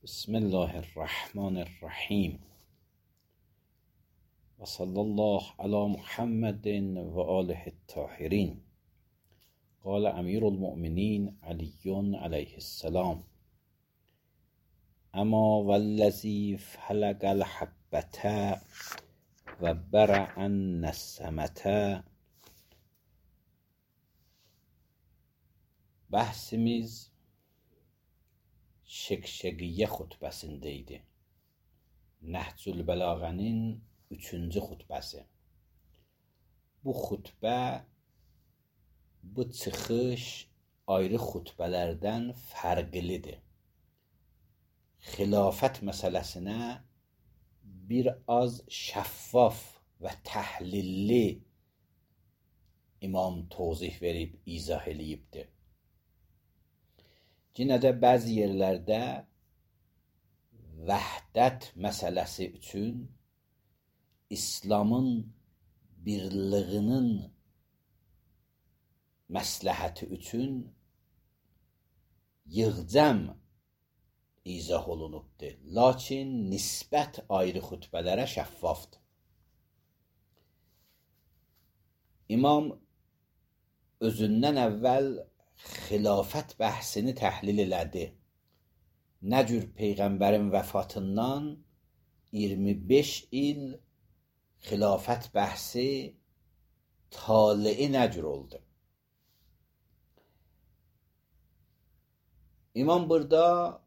بسم الله الرحمن الرحیم و صلی الله علی محمد و آله الطاهرین. قال امیر المؤمنین علی علیه السلام: اما والذی فلق الحبة و برع النسمة. Bəhsimiz Şəqşəqiyyə xutbəsində idi. Nəhcül Bəlağənin 3-cü xutbəsi. Bu xutbə, bu çıxış ayrı xutbələrdən fərqlidir. Xilafət məsələsinə bir az şəffaf və təhlilli imam tozih verib, izah eləyibdir. Yenə də bəzi yerlərdə vəhdət məsələsi üçün, İslamın birliyinin məsləhəti üçün yığcam izah olunubdur. Lakin nisbət ayrı xutbələrə şəffafdır. İmam özündən əvvəl xilafət bəhsini təhlil elədi. Nə cür Peyğəmbərin vəfatından 25 il xilafət bəhsi taliyi nə cür oldu? İmam burada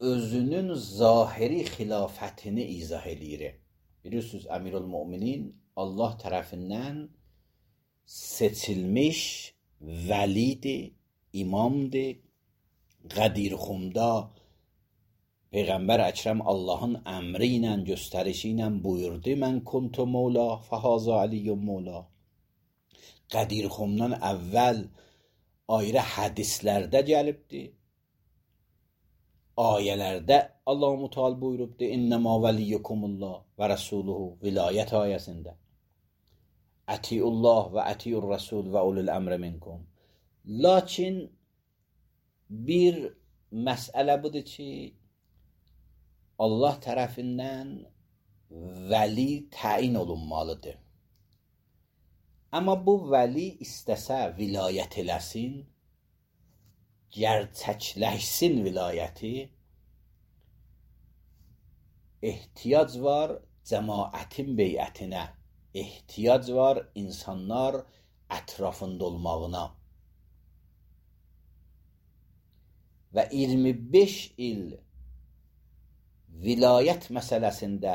özünün zahiri xilafətini izah eləyir. Bilirsiniz, Əmirül-Müminin Allah tərəfindən seçilmiş vəlidir, imamdır. Qədirxumda Peyğəmbər Əkrəm Allahın əmri ilə, göstərişi ilə buyurdu: mən kuntu mövla fəhazə aliyyum mövla. Qədirxumdan əvvəl ayrı hədislərdə gəlibdir. Ayələrdə Allah-u Teala buyurubdur: innəmə vəliyyukumullah və rəsuluhu, vilayət ayəsində. Ətiyullah və ətiyur rəsul və ulul əmri minkum. Lakin bir məsələ budur ki, Allah tərəfindən vəli təyin olunmalıdır. Amma bu vəli istəsə vilayət eləsin, gerçəkləşsin vilayəti, ehtiyac var cəmaətin beyətinə, ehtiyac var insanlar ətrafında olmağına. Və 25 il vilayət məsələsində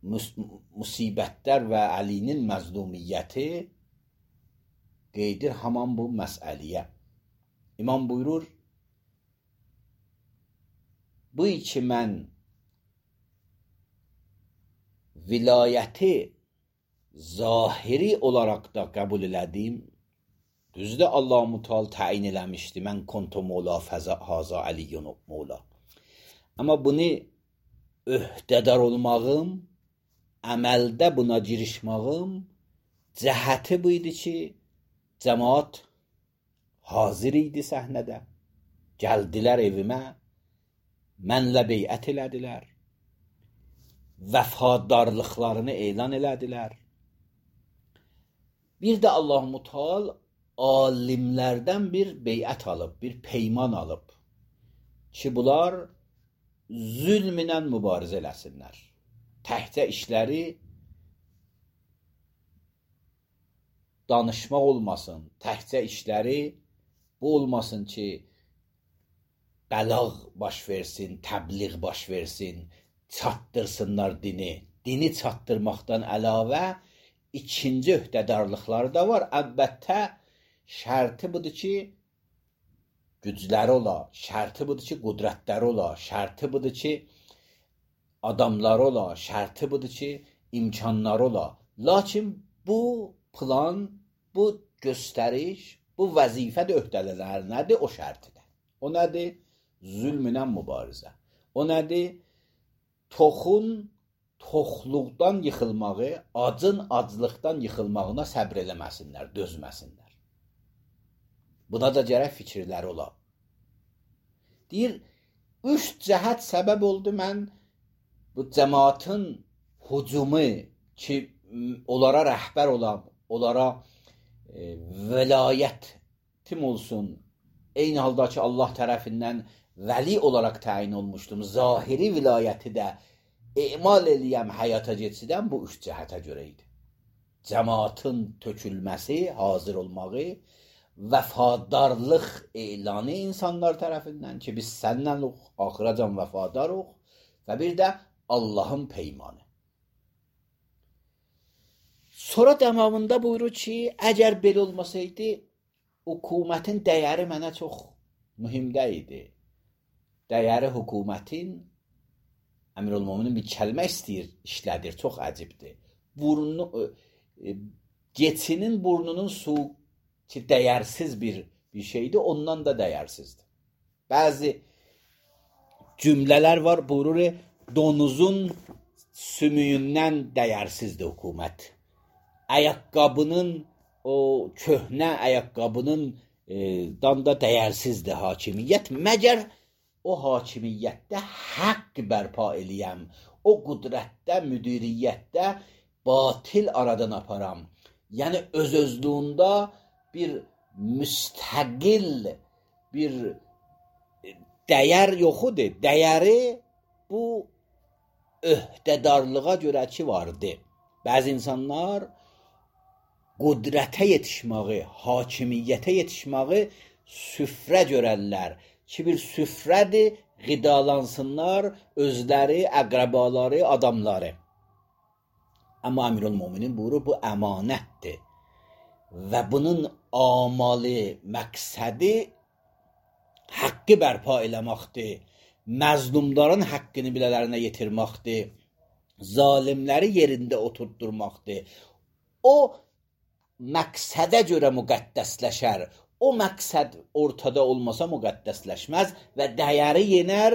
müsibətlər və Əlinin məzlumiyyəti qeydir haman bu məsələyə. İmam buyurur: bu ki mən vilayəti zahiri olaraq da qəbul elədim. Düzdür, Allah-u Teala təyin eləmişdi: mən kuntu mövla fəhazə aliyyun mövla. Amma bunu öhdədar olmağım, əməldə buna girişmağım cəhəti bu idi ki, cəmaat hazır idi səhnədə. Gəldilər evimə, mənlə beyət elədilər. Vəfadarlıqlarını elan elədilər. Bir də Allah-u Teala alimlərdən bir beyət alıb, bir peyman alıb ki, bunlar zülmlə mübarizə eləsinlər. Təhcə işləri danışmaq olmasın, təhcə işləri bu olmasın ki, bəlağ baş versin, təbliğ baş versin, çatdırsınlar dini. Dini çatdırmaqdan əlavə ikinci öhdədarlıqları da var. Əlbəttə, şərti budur ki, gücləri ola, şərti budur ki, qudrətləri ola, şərti budur ki, adamları ola, şərti budur ki, imkanları ola. Lakin bu plan, bu göstəriş, bu vəzifə də öhdələr nədir? O şərtidir. O nədir? Zülmlə mübarizə. O nədir? Toxun toxluqdan yıxılmağı, acın aclıqdan yıxılmağına səbr eləməsinlər, dözməsinlər. Buna da gərək fikirləri ola. Deyir, Üç cəhət səbəb oldu mən bu cəmaatın hücumu ki, onlara rəhbər olam, onlara velayətim olsun, eyni halda ki, Allah tərəfindən vəli olaraq təyin olmuşdum, zahiri vilayəti də emal eləyəm, həyata keçidən bu üç cəhətə görə idi. Cəmaatın tökülməsi, hazır olmağı, vəfadarlıq elanı insanlar tərəfindən ki, biz səndən axıracan vəfadarıq və bir də Allahın peymanı. Sonra dəmamında buyurur ki, əgər belə olmasaydı, hökumətin dəyəri mənə çox mühimdə idi. Dəyəri hökumətin, Əmirülmöminin bir kəlmə istəyir, işlədir, çox əcibdir. Keçinin burnunun su ki, dəyərsiz bir şeydir, ondan da dəyərsizdir. Bəzi cümlələr var, buyurur, donuzun sümüyündən dəyərsizdir hökumət. Ayaqqabının, o köhnə ayaqqabının da dəyərsizdir hakimiyyət. Məgər o hakimiyyətdə haqq bərpa eləyəm, o qüdrətdə, müdiriyyətdə batil aradan aparam. Yəni öz-özlüyündə bir müstəqil bir dəyər yoxudur. Dəyəri bu öhdədarlığa görə ki vardı. Bəzi insanlar qüdrətə yetişməyi, hakimiyyətə yetişməyi süfrə görərlər ki, bir süfrədir, qidalansınlar özləri, əqrəbaları, adamları. Amma Əmirülmöminin buyurur, bu əmanətdir. Və bunun amalı, məqsədi haqqı bərpa eləməkdir, məzlumların haqqını bilələrinə yetirməkdir, zalimləri yerində oturdurmaqdır. O məqsədə görə müqəddəsləşər, o məqsəd ortada olmasa müqəddəsləşməz və dəyəri yenər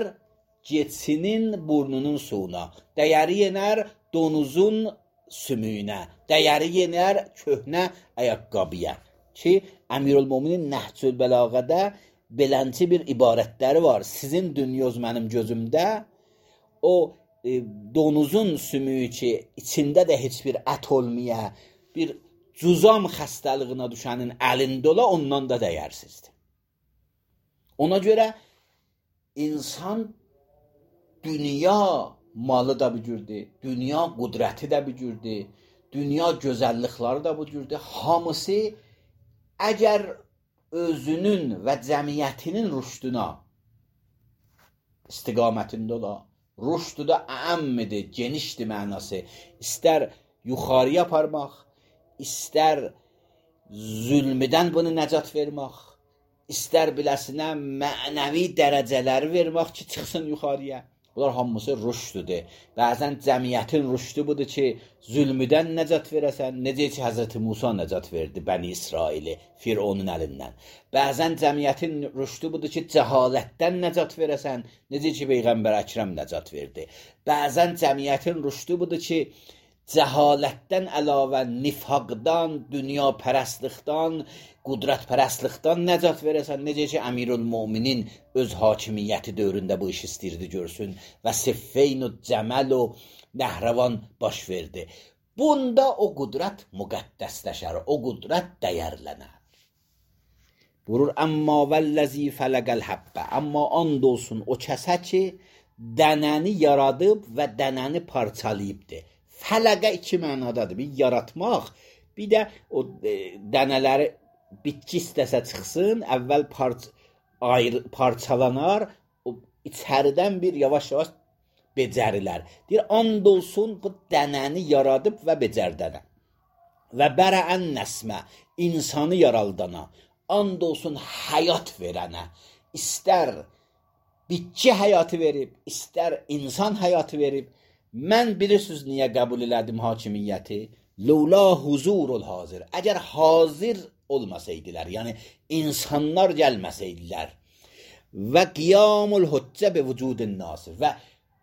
keçinin burnunun suyuna, dəyəri yenər donuzun sümüyünə, dəyəri yenər köhnə ayaqqabıya ki, Əmirülmöminin Nəhcül Bəlağədə belənçi bir ibarətləri var. Sizin dünyoz mənim gözümdə o donuzun sümüyü ki, içində də heç bir ət olmaya, bir cüzam xəstəliyinə düşənin əlində ola, ondan da dəyərsizdir. Ona görə insan dünya malı da bücürdür, dünya qudrəti də bücürdür, dünya gözəllikləri də bücürdür. Hamısı əgər özünün və cəmiyyətinin rüşduna istiqamətində ola, rüşdü də əmmidir, genişdir mənası. İstər yuxarıya aparmaq, istər zülmüdən bunu nəcat vermək, istər biləsinə mənəvi dərəcələri vermək ki, çıxsın yuxarıya. Bunlar hamısı rüşdüdür. Bəzən cəmiyyətin rüşdü budur ki, zülmüdən nəcat verəsən, necə ki, Həzrəti Musa nəcat verdi Bəni İsraili, Fironun əlindən. Bəzən cəmiyyətin rüşdü budur ki, cəhalətdən nəcat verəsən, necə ki, Peyğəmbər Əkrəm nəcat verdi. Bəzən cəmiyyətin rüşdü budur ki, cəhalətdən əlavə nifaqdan, dünya pərəstlikdən, qudrət pərəstlikdən nəcat verəsən, necə ki, Əmirülmöminin öz hakimiyyəti dövründə bu iş istəyirdi görsün və Siffeyn o Cəməl o Nəhrəvan baş verdi. Bunda o qudrət müqəddəsləşər, o qudrət dəyərlənər. Buyurur, əmmə vəlləzi fələqəl həbbə, amma and olsun o kəsə ki, dənəni yaradıb və dənəni parçalayıbdır. Fələqə iki mənadadır. Bir yaratmaq, bir də o dənələri bitki istəsə çıxsın, əvvəl parçalanar, o içəridən bir yavaş-yavaş becərilər. Deyir, and olsun bu dənəni yaradıb və becərdənə. Və bərəən nəsmə, insanı yaraldana, and olsun həyat verənə, istər bitki həyatı verib, istər insan həyatı verib. Mən bilirsiniz niyə qəbul elədim hakimiyyəti? Lula huzurul hazir. Əgər hazir olmasaydılar, yəni insanlar gəlməsəydilər və qiyamul hüccə bi vücudun nasir və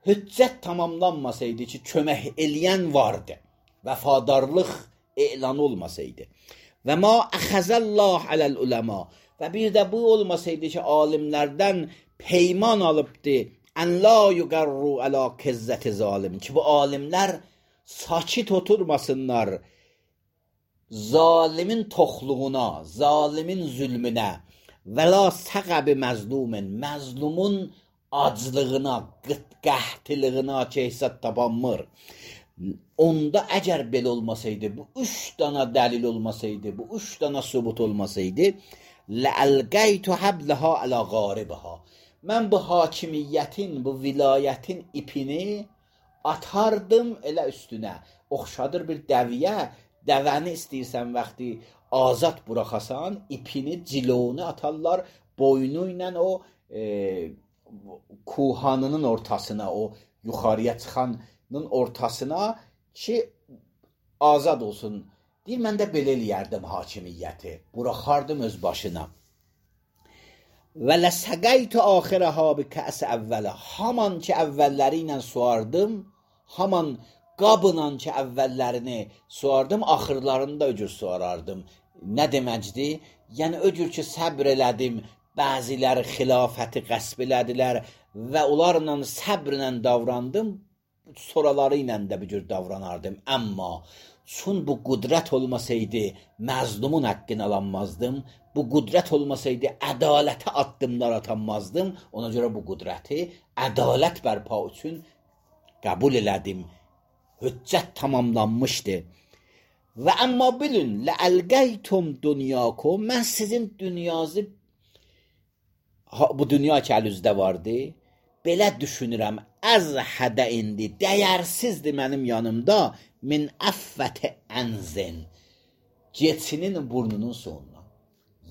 hüccət tamamlanmasaydı ki, kömək eləyən vardı, vəfadarlıq elan olmasaydı və ma əxəzəllah aləl uləma və bir də bu olmasaydı ki, alimlərdən peyman alıbdı En la yuqarru ala kizzeti zalim. Ki bu alimler sakit oturmasınlar zalimin toxluğuna, zalimin zulmünə və la səqəbi məzlumin, məzlumun aclığına, qəhtlığına ki, hesab tapanmır. Onda əgər belə olmasaydı, bu 3 dana dəlil olmasaydı, bu 3 dana sübut olmasaydı, لَأَلْقَيْتُ حَبْلَهَا عَلَى غَارِبَهَا. Mən bu hakimiyyətin, bu vilayətin ipini atardım elə üstünə. Oxşadır bir dəviyə, dəvəni istəyirsən vaxtı azad buraxasan, ipini, cilovunu atarlar boynu ilə o kuhanının ortasına, o yuxarıya çıxanın ortasına ki, azad olsun. Deyir, mən də belə eləyərdim hakimiyyəti, buraxardım öz başına. Və ləsəqəytü axirəha bi kəs əvvələ. Haman ki, əvvəlləri ilə suardım, haman qabla ki, əvvəllərini suardım, axırlarını da öcür suarardım. Nə deməkdir? Yəni, öcür ki, səbr elədim, bəziləri xilafəti qəsb elədilər və onlarla səbrlə davrandım, soraları ilə də bir cür davranardım. Əmma, çün bu qudrət olmasaydı, məzlumun haqqını alanmazdım, bu qudrət olmasaydı, ədalətə addımlar atanmazdım, ona görə bu qudrəti ədalət bərpa üçün qəbul elədim. Hüccət tamamlanmışdı. Və əmma bilin, ləəlqəytum dünyakum, mən sizin dünyazı, bu dünya ki, əlüzdə vardı, belə düşünürəm, əzhədə indi, dəyərsizdir mənim yanımda, min əffəti ənzin, geçinin burnunun sonuna.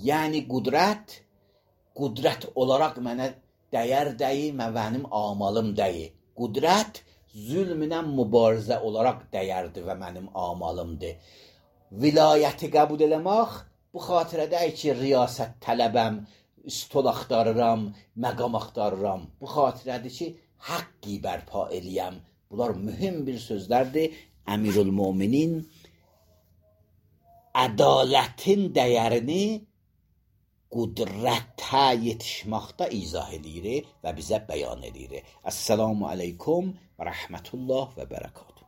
Yəni, qudrət olaraq mənə dəyər deyil, mənim amalım deyil. Qudrət, zülmünə mübarizə olaraq dəyərdir və mənim amalımdır. Vilayəti qəbul eləmək, bu xatirədəyik ki, riyasət tələbəm, stol axtarıram, məqam axtarıram. Bu xatirədir ki, haqqi bərpa eləyəm. Bunlar mühüm bir sözlərdir. Əmirül-Müminin ədalətin dəyərini qudrətə yetişməkdə izah edir və bizə bəyan edir. Əssalamu aleykum və rəhmətullah və bərəkatuhu.